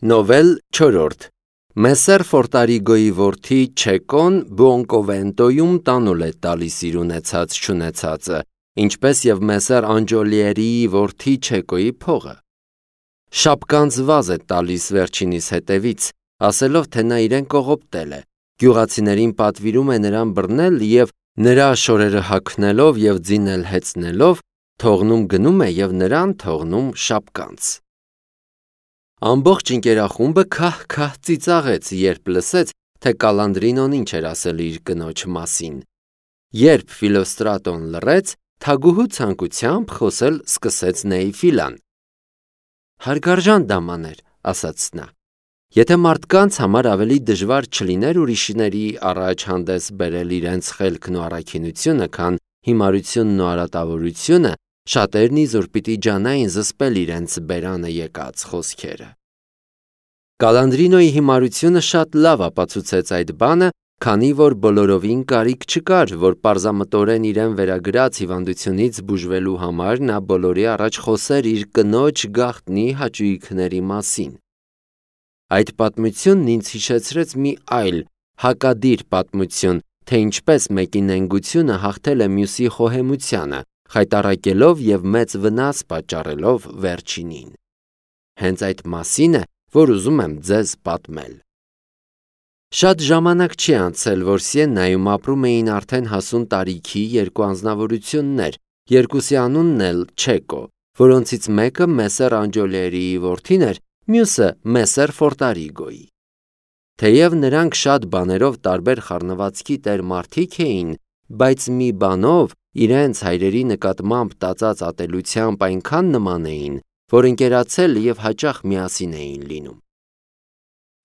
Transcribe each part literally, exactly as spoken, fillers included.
Նովել չորրորդ Մեսեր Ֆորտարիգոյի որդի Չեկոն Բուոնկովենտոյում տանուլ է տալիս իր ունեցած չունեցածը, ինչպես և Մեսեր Անջոլիերիի որդի Չեկոյի փողը։ Շապկանց վազ է տալիս վերջինիս հետևից, ասելով, թե նա իրեն կողոպտել է, գյուղացիներին պատվիրում է նրան բռնել և նրա շորերը հագնելով և ձինել հեծնելով, թողնում գնում է և նրան թողնում շապկանց։ Ամբողջ ընկերախումբը քահ-քահ ծիծաղեց, երբ լսեց, թե Կալանդրինոն ինչ էր ասել իր կնոջ մասին։ Երբ Ֆիլոստրատոն լռեց, թագուհու ցանկությամբ խոսել սկսեց Նեիֆիլան։ Հարգարժան դամաներ, ասաց նա, եթե մարդկանց համար ավելի դժվար չլիներ ուրիշների առաջ հանդես բերել իրենց խելքն ու առաքինությունը, քան հիմարությունն ու արատավորությունը, շատերն իզուր պիտի ջանային զսպել իրենց բերանը եկած խոսքերը։ Կալանդրինոյի հիմարությունը շատ լավ ապացուցեց այդ բանը, քանի որ բոլորովին կարիք չկար, որ պարզամտորեն իրեն վերագրած հիվանդությունից բուժվելու համար նա բոլորի առաջ խոսեր իր կնոջ գաղտնի հաճույքների մասին։ Այդ պատմությունն ինձ հիշեցրեց մի այլ հակադիր պատմություն, թե ինչպես մեկի նենգությունը հաղթել է մյուսի խոհեմությանը, խայտառակելով և մեծ վնաս պատճառելով վերջինին։ Հենց այդ մասին է, որ ուզում եմ ձեզ պատմել։ Շատ ժամանակ չի անցել, որ Սիեննայում ապրում էին արդեն հասուն տարիքի երկու անձնավորություններ, երկուսի անունն էլ Չեկո, որոնցից մեկը Մեսեր Անջոլիերիի որդին էր, մյուսը Մեսեր Ֆորտարիգոյի։ Թեև նրանք շատ բաներով տարբեր խառնվածքի տեր մարդիկ էին, բայց մի բանով իրենց հայրերի նկատմամբ տածած ատելությամբ այնքան նման էին, որ ընկերացել և հաճախ միասին էին լինում։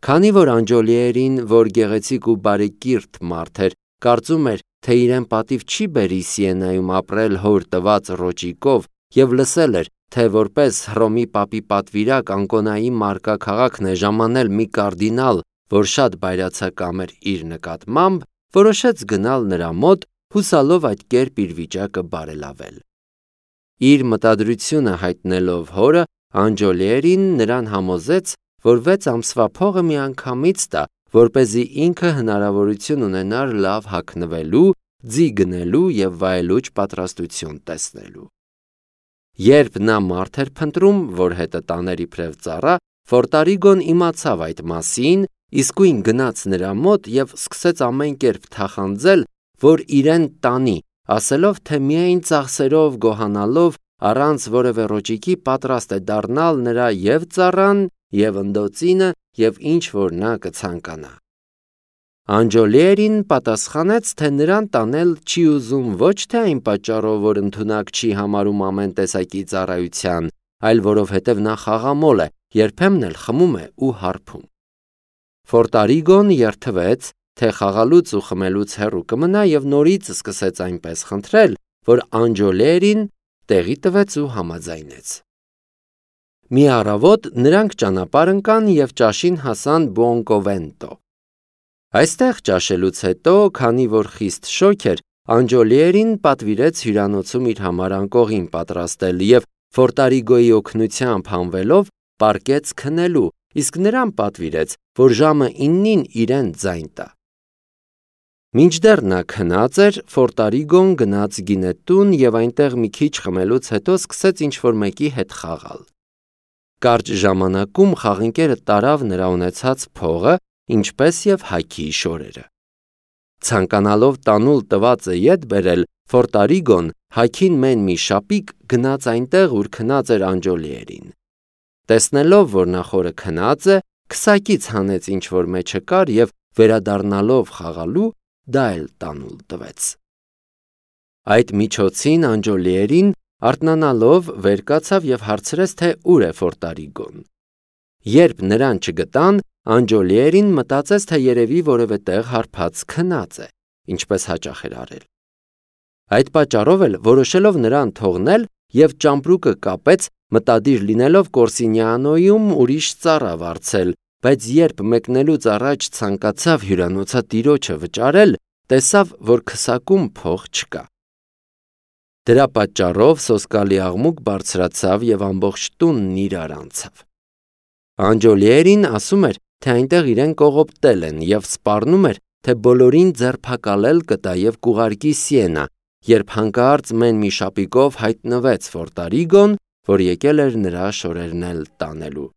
Քանի որ Անջոլիերին, որ գեղեցիկ ու բարեկիրթ մարդ էր, կարծում էր, թե իրեն պատիվ չի բերի Սիեննայում ապրել հոր տված ռոճիկով և լսել էր, թե որպես Հռոմի պապի պատվիրակ Անկոնայի մարգաքաղաքն է ժամանել մի կարդինալ, որ շատ բայրացակամ էր իր նկատմամբ, որոշեց գնալ նրա մոտ, հուսալով այդ կերպ իր վիճակը բարելավել։ Իր մտադրությունը հայտնելով հորը, Անջոլիերին նրան համոզեց, որ վեց ամսվա փողը միանգամից տա, որպեսզի ինքը հնարավորություն ունենար լավ հագնվելու, ձի գնելու և վայելուչ պատրաստություն տեսնելու։ Երբ նա մարդ էր փնտրում, որ հետը տաներ իբրև ծառա, Ֆորտարիգոն իմացավ այդ մասին, իսկույն գնաց նրա մոտ և սկսեց ամեն կերպ թախանձել, որ իրեն տանի, ասելով, թե միայն ծախսերով գոհանալով, առանց որևէ ռոճիկի պատրաստ է դառնալ նրա և ծառան, և ընդոցինը, և ինչ որ նա կցանկանա։ Անջոլիերին պատասխանեց, թե նրան տանել չի ուզում ոչ թե այն պատճառով, որ ընդունակ չի համարում ամեն տեսակի ծառայության, այլ որովհետև նա խաղամոլ է, երբեմն էլ խմում է ու հարբում։ Ֆորտարիգոն երդվեց, թե խաղալուց ու խմելուց հեռու կմնա և նորից սկսեց այնպես խնդրել, որ Անջոլիերին տեղի տվեց ու համաձայնեց։ Մի առավոտ նրանք ճանապարհ ընկան և ճաշին հասան Բուոնկովենտո։ Այստեղ ճաշելուց հետո, քանի որ խիստ շոգ էր, Անջոլիերին պատվիրեց հյուրանոցում իր համար անկողին պատրաստել և Ֆորտարիգոյի օգնությամբ հանվելով պառկեց քնելու, իսկ նրան պատվիրեց, որ ժամը իննին իրեն ձայն տա։ Մինչդեռ նա քնած էր, Ֆորտարիգոն գնաց գինետուն և այնտեղ մի քիչ խմելուց հետո սկսեց ինչ-որ մեկի հետ խաղալ։ Կարճ ժամանակում խաղընկերը տարավ նրա ունեցած փողը, ինչպես և հագի շորերը։ Ցանկանալով տանուլ տվածը ետ բերել, Ֆորտարիգոն հագին մեն մի շապիկ գնաց այնտեղ, ուր քնած էր Անջոլիերին։ Տեսնելով, որ նա խորը քնած է, քսակից հանեց ինչ-որ մեջը կար և վերադառնալով խաղալու, դա էլ տանուլ տվեց։ Այդ միջոցին Անջոլիերին, արթնանալով, վեր կացավ և հարցրեց, թե ուր է Ֆորտարիգոն։ Երբ նրան չգտան, Անջոլիերին մտածեց, թե երևի որևէ տեղ հարբած քնած է, ինչպես հաճախ էր արել։ Այդ պատճառով էլ որոշելով նրան թողնել և ճամպրուկը կապեց, մտադիր լինելով Կորսինիանոյում ուրիշ ծառա վարձել, բայց երբ մեկնելուց առաջ ցանկացավ հյուրանոցատիրոջը վճարել, տեսավ, որ քսակում փող չկա։ Դրա պատճառով սոսկալի աղմուկ բարձրացավ և ամբողջ տունն իրար անցավ։ Անջոլիերին ասում էր, թե այնտեղ իրեն կողոպտել են և սպառնում էր, թե բոլորին ձերբակալել կտա և կուղարկի Սիենա, երբ հանկարծ մեն մի շապիկով հայտնվեց Ֆորտարիգոն, որ եկել էր նրա շորերն էլ տանելու։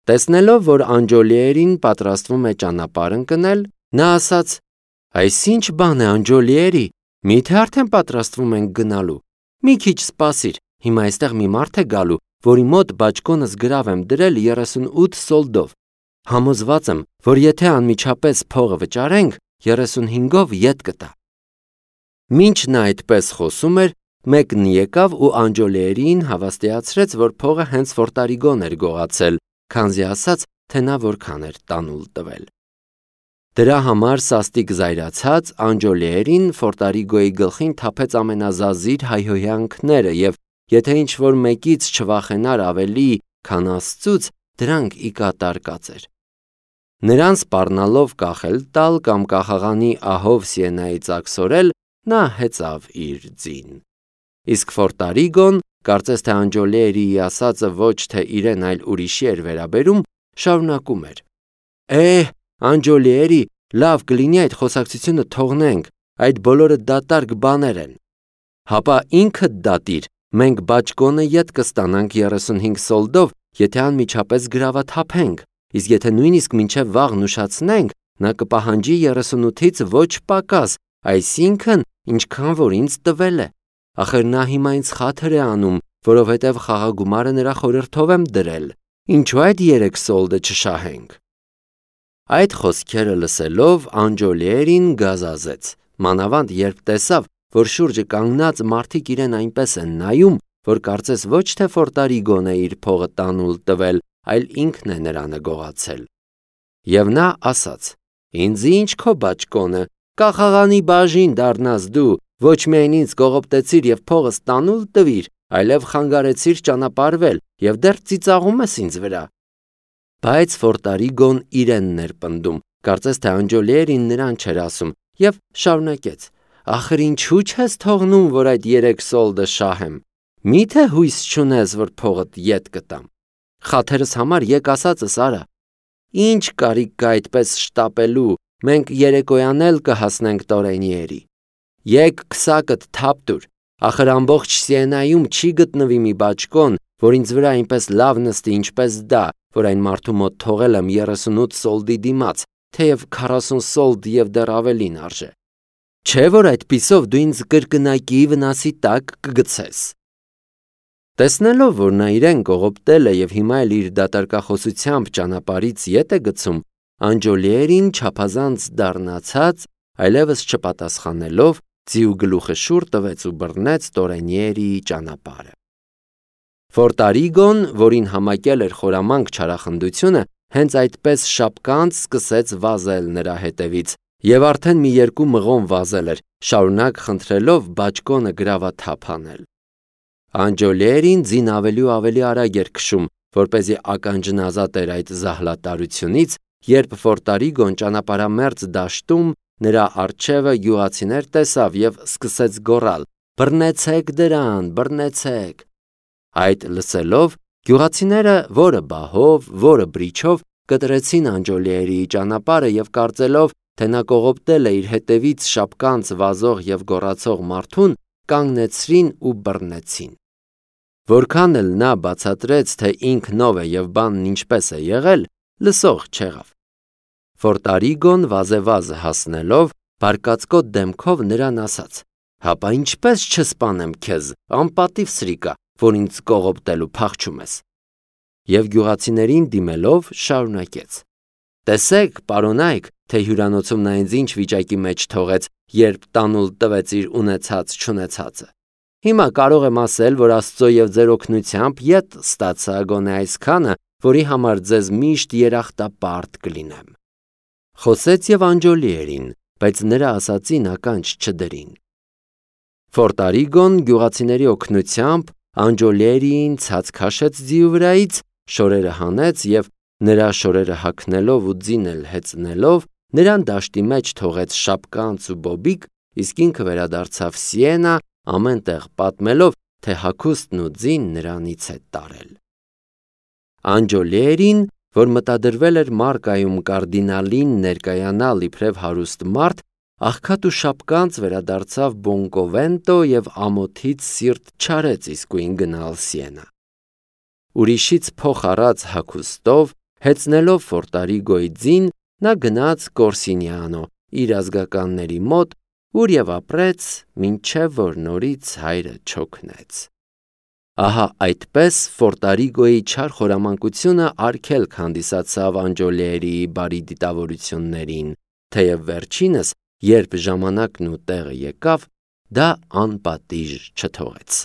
Տեսնելով, որ Անջոլիերին պատրաստվում է ճանապարհ ընկնել, նա ասաց. «Այս ինչ բան է, Անջոլիերի, միթե արդեն պատրաստվում ենք գնալու։ Մի քիչ սպասիր, հիմա այստեղ մի մարդ է գալու, որի մոտ բաճկոնս գրավ եմ դրել երեսունութ սոլդով։ Համոզված եմ, որ եթե անմիջապես փողը վճարենք, երեսունհինգով ետ կտա»։ Մինչ նա այդպես խոսում էր, մեկն եկավ ու Անջոլիերին հավաստիացրեց, որ փողը հենց Ֆորտարիգոն էր գողացել, քանզի ասաց, թե նա որքան էր տանուլ տվել։ Դրա համար սաստիկ զայրացած Անջոլիերին Ֆորտարիգոյի գլխին թափեց ամենազազիր հայհոյանքները և եթե ինչ-որ մեկից չվախենար ավելի, քան Աստծուց, դրանք ի կատար կածեր։ Նրան սպառնալով կախել տալ կամ կախաղանի ահով Սիենայից աքսորել, նա հեծավ իր ձին։ Իսկ Ֆորտարիգոն, կարծես թե Անջոլիերիի ասածը ոչ թե իրեն, այլ ուրիշի էր վերաբերում, շարունակում էր. «Է, Անջոլիերի, լավ կլինի այդ խոսակցությունը թողնենք, այդ բոլորը դատարկ բաներ են։ Հապա ինքդ դատիր, մենք բաճկոնը ետ կստանանք երեսունհինգ սոլդով, եթե անմիջապես գրավաթափենք, իսկ եթե նույնիսկ մինչև վաղն ուշացնենք, նա կպահանջի երեսունութից ոչ պակաս, այսինքն, ինչքան որ ինձ տվել է։ Ախր նա հիմա ինձ խաթր է անում, որովհետև խաղագումարը նրա խորհրդով եմ դրել, ինչու այդ երեք սոլդը չշահենք»։ Այդ խոսքերը լսելով Անջոլիերին գազազեց, մանավանդ երբ տեսավ, որ շուրջը կանգնած մարդիկ իրեն այնպես են նայում, որ կարծես ոչ թե Ֆորտարիգոն է իր փողը տանուլ տվել, այլ ինքն է նրանը գողացել։ Եվ նա ասաց. «Ինձ ինչ քո բաճկոնը, կախաղանի բաժին դառնաս դու, ոչ միայն ինձ կողոպտեցիր և փողս տանուլ տվիր, այլև խանգարեցիր ճանապարհվել և դեռ ծիծաղում ես ինձ վրա»։ Բայց Ֆորտարիգոն իրենն էր պնդում, կարծես թե Անջոլիերին նրան չէր ասում, և շարունակեց. «Ախր ինչու չես թողնում, որ այդ երեք սոլդը շահեմ։ Մի՞թե հույս չունես, որ փողդ ետ կտամ։ Խաթերս համար եկ ասածս արա։ Ինչ կարիք կա այդպես շտապելու, մենք երեկոյան էլ կհասնենք Տորենիերի։ Եկ քսակդ թափ տուր, ախր ամբողջ Սիենայում չի գտնվի մի բաճկոն, որ ինձ վրա այնպես լավ նստի, ինչպես դա, որ այն մարդու մոտ թողել եմ երեսունութ սոլդի դիմաց, թեև քառասուն սոլդ և դեռ ավելին արժե։ Չէ՞ որ այդպիսով դու ինձ կրկնակի վնասի տակ կգցես»։ Տեսնելով, որ նա իրեն կողոպտել է և հիմա էլ իր դատարկախոսությամբ ճանապարհից ետ է գցում, Անջոլիերին չափազանց դառնացած, այլևս չպատասխանելով, ձիու գլուխը շուռ տվեց ու բռնեց Տորենիերիի ճանապարհը։ Ֆորտարիգոն, որին համակել էր խորամանկ չարախնդությունը, հենց այդպես շապկանց սկսեց վազել նրա հետևից և արդեն մի երկու մղոն վազել էր, շարունակ խնդրելով բաճկոնը գրավաթափ անել։ Անջոլիերին ձին ավելի ու ավելի արագ էր քշում, որպեսզի ականջնազատ էր այդ զահլատարությունից, երբ Ֆորտարիգոն ճանապարհամերձ դաշտում նրա առջևը գյուղացիներ տեսավ և սկսեց գոռալ. «Բռնեցեք դրան, բռնեցեք»։ Այդ լսելով, գյուղացիները որը բահով, որը բրիչով կտրեցին Անջոլիերիի ճանապարհը և կարծելով, թե նա կողոպտել է իր հետևից շապկանց վազող և գոռացող մարդուն, կանգնեցրին ու բռնեցին։ Որքան էլ նա բացատրեց, թե ինքնով է և բանն ինչպես է եղել, լսող չեղավ։ Ֆորտարիգոն վազեվազը հասնելով, բարկացկոտ դեմքով նրան ասաց. «Հապա ինչպես չսպանեմ քեզ, անպատիվ սրիկա, որ ինձ կողոպտելու փախչում ես»։ Եվ գյուղացիներին դիմելով շարունակեց. «Տեսեք, պարոնայք, թե հյուրանոցում նա ինձ ինչ վիճակի մեջ թողեց, երբ տանուլ տվեց իր ունեցած-չունեցածը։ Հիմա կարող եմ ասել, որ Աստծո և ձեր օգնությամբ ետ ստացա գոնե այսքանը, որի համար ձեզ միշտ երախտապարտ կլինեմ»։ Խոսեց և Անջոլիերին, բայց նրա ասածին ականջ չդրին։ Ֆորտարիգոն գյուղացիների օգնությամբ Անջոլիերիին ցած քաշեց ձիու վրայից, շորերը հանեց և նրա շորերը հագնելով ու ձին էլ հեծնելով, նրան դաշտի մեջ թողեց շապկանց ու բոբիկ, իսկ ինքը վերադարձավ Սիենա, ամեն տեղ պատմելով, թե հագուստն ու ձին նրանից է տարել։ Անջոլիերին, որ մտադրվել էր Մարկայում կարդինալին ներկայանալ իբրև հարուստ մարդ, աղքատ ու շապկանց վերադարձավ Բոնկովենտո և ամոթից սիրտ չարեց իսկույն գնալ Սիենա։ Ուրիշից փող առած հագուստով, հեծնելով Ֆորտարիգոյի ձին, նա գնաց Կորսինիանո իր ազգականների մոտ, ուր և ապրեց, մինչև որ նորից հայրը չօգնեց։ Ահա այդպես Ֆորտարիգոյի չար խորամանկությունը արգելք հանդիսացավ Անջոլիերիի բարի դիտավորություններին, թեև վերջինս, երբ ժամանակն ու տեղը եկավ, դա անպատիժ չթողեց։